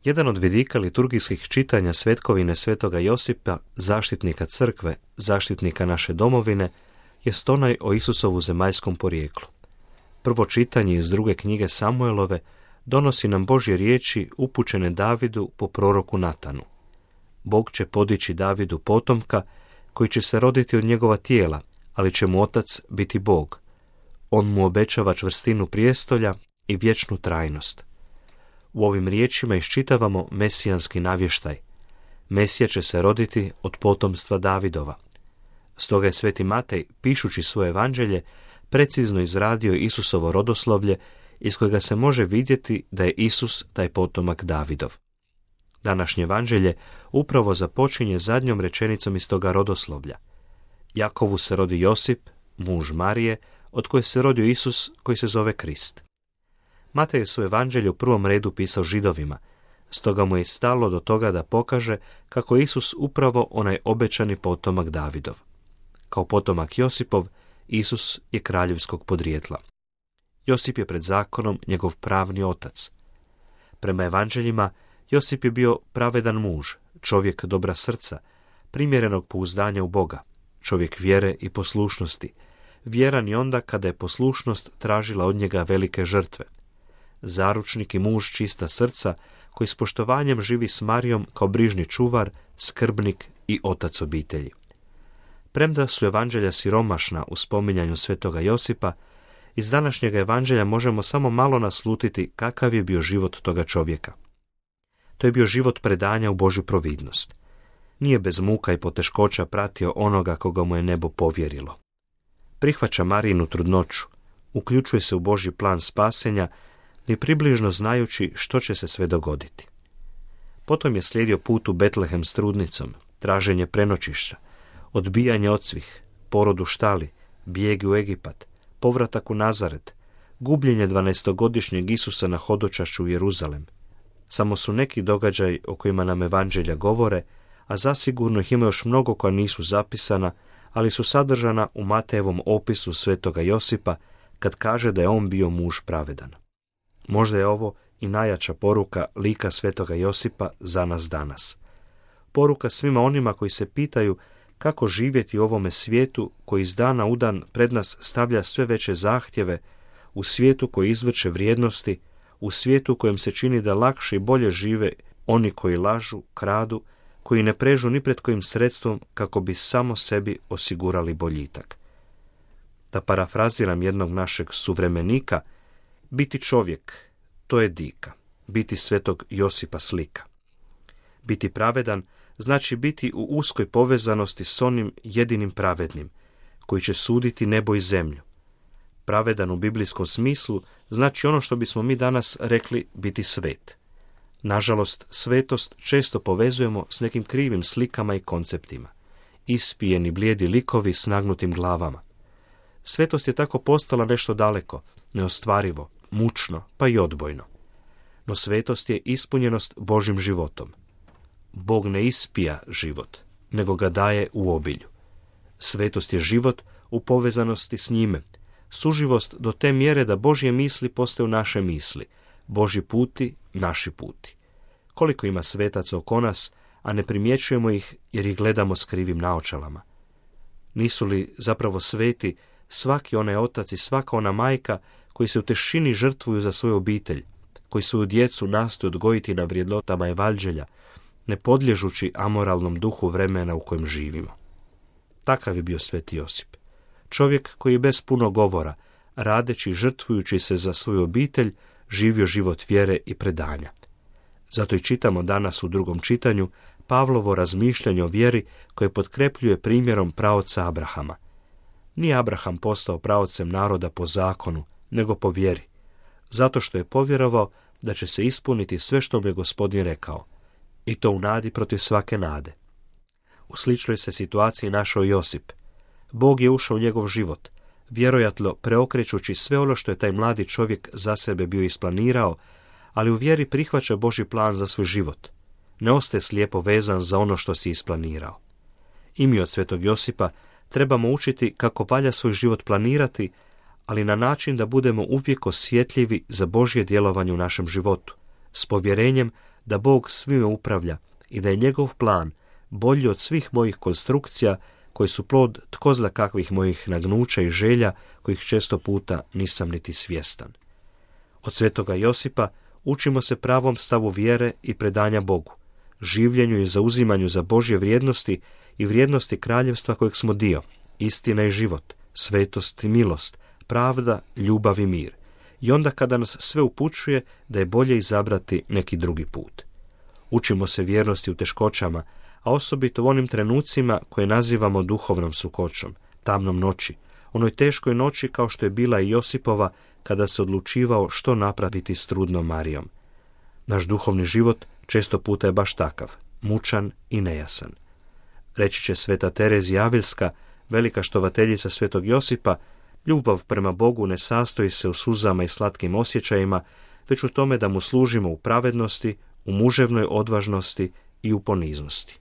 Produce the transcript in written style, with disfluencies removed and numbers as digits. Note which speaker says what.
Speaker 1: Jedan od vidika liturgijskih čitanja svetkovine svetoga Josipa, zaštitnika crkve, zaštitnika naše domovine, jest onaj o Isusovu zemaljskom porijeklu. Prvo čitanje iz druge knjige Samuelove donosi nam Božje riječi upućene Davidu po proroku Natanu. Bog će podići Davidu potomka koji će se roditi od njegova tijela, ali će mu otac biti Bog. On mu obećava čvrstinu prijestolja i vječnu trajnost. U ovim riječima iščitavamo mesijanski navještaj. Mesija će se roditi od potomstva Davidova. Stoga je sveti Matej, pišući svoje evanđelje, precizno izradio Isusovo rodoslovlje iz kojega se može vidjeti da je Isus taj potomak Davidov. Današnje evanđelje upravo započinje zadnjom rečenicom iz toga rodoslovlja. Jakovu se rodi Josip, muž Marije, od koje se rodio Isus koji se zove Krist. Matej je svoje evanđelje u prvom redu pisao Židovima, stoga mu je stalo do toga da pokaže kako je Isus upravo onaj obećani potomak Davidov. Kao potomak Josipov, Isus je kraljevskog podrijetla. Josip je pred zakonom njegov pravni otac. Prema evanđeljima, Josip je bio pravedan muž, čovjek dobra srca, primjerenog pouzdanja u Boga, čovjek vjere i poslušnosti, vjeran i onda kada je poslušnost tražila od njega velike žrtve. Zaručnik i muž čista srca, koji s poštovanjem živi s Marijom kao brižni čuvar, skrbnik i otac obitelji. Premda su evanđelja siromašna u spominjanju svetoga Josipa, iz današnjeg evanđelja možemo samo malo naslutiti kakav je bio život toga čovjeka. To je bio život predanja u Božju providnost. Nije bez muka i poteškoća pratio onoga koga mu je nebo povjerilo. Prihvaća Marijinu trudnoću, uključuje se u Božji plan spasenja i približno znajući što će se sve dogoditi. Potom je slijedio put u Betlehem s trudnicom, traženje prenoćišća, odbijanje od svih, porod u štali, bijeg u Egipat, povratak u Nazaret, gubljenje 12-godišnjeg Isusa na hodočašću u Jeruzalem. Samo su neki događaji o kojima nam evanđelja govore, a zasigurno ih ima još mnogo koja nisu zapisana, ali su sadržana u Matejevom opisu svetoga Josipa kad kaže da je on bio muž pravedan. Možda je ovo i najjača poruka lika svetoga Josipa za nas danas. Poruka svima onima koji se pitaju kako živjeti u ovome svijetu koji iz dana u dan pred nas stavlja sve veće zahtjeve, u svijetu koji izvrće vrijednosti, u svijetu kojem se čini da lakše i bolje žive oni koji lažu, kradu, koji ne prežu ni pred kojim sredstvom kako bi samo sebi osigurali boljitak. Da parafraziram jednog našeg suvremenika, biti čovjek, to je dika, biti svetog Josipa slika. Biti pravedan znači biti u uskoj povezanosti s onim jedinim pravednim, koji će suditi nebo i zemlju. Pravedan u biblijskom smislu znači ono što bismo mi danas rekli biti svet. Nažalost, svetost često povezujemo s nekim krivim slikama i konceptima. Ispijeni blijedi likovi s nagnutim glavama. Svetost je tako postala nešto daleko, neostvarivo, mučno, pa i odbojno. No svetost je ispunjenost Božjim životom. Bog ne ispija život, nego ga daje u obilju. Svetost je život u povezanosti s njime, suživost do te mjere da Božje misli postaju naše misli, Božji puti naši puti. Koliko ima svetaca oko nas, a ne primjećujemo ih jer ih gledamo s krivim naočalama. Nisu li zapravo sveti svaki onaj otac i svaka ona majka koji se u tišini žrtvuju za svoju obitelj, koji svoju djecu nastoje odgojiti na vrijednotama evanđelja, ne podliježući amoralnom duhu vremena u kojem živimo. Takav je bio sveti Josip. Čovjek koji je bez puno govora, radeći i žrtvujući se za svoju obitelj, živio život vjere i predanja. Zato i čitamo danas u drugom čitanju Pavlovo razmišljanje o vjeri koje potkrepljuje primjerom praoca Abrahama. Nije Abraham postao praocem naroda po zakonu, nego po vjeri, zato što je povjerovao da će se ispuniti sve što mu je Gospodin rekao, i to u nadi protiv svake nade. U sličnoj se situaciji našao Josip. Bog je ušao u njegov život, vjerojatno preokrećući sve ono što je taj mladi čovjek za sebe bio isplanirao, ali u vjeri prihvaća Božji plan za svoj život. Ne ostaje slijepo vezan za ono što si isplanirao. I mi od svetog Josipa trebamo učiti kako valja svoj život planirati, ali na način da budemo uvijek osjetljivi za Božje djelovanje u našem životu, s povjerenjem da Bog svime upravlja i da je njegov plan bolji od svih mojih konstrukcija koji su plod tko zna kakvih mojih nagnuća i želja kojih često puta nisam niti svjestan. Od svetoga Josipa učimo se pravom stavu vjere i predanja Bogu, življenju i zauzimanju za Božje vrijednosti i vrijednosti kraljevstva kojeg smo dio, istina i život, svetost i milost, pravda, ljubav i mir. I onda kada nas sve upućuje da je bolje izabrati neki drugi put. Učimo se vjernosti u teškoćama, a osobito u onim trenucima koje nazivamo duhovnom sukoćom, tamnom noći, onoj teškoj noći kao što je bila i Josipova kada se odlučivao što napraviti s trudnom Marijom. Naš duhovni život često puta je baš takav, mučan i nejasan. Reći će sveta Terezija Avilska, velika štovateljica svetog Josipa, ljubav prema Bogu ne sastoji se u suzama i slatkim osjećajima, već u tome da mu služimo u pravednosti, u muževnoj odvažnosti i u poniznosti.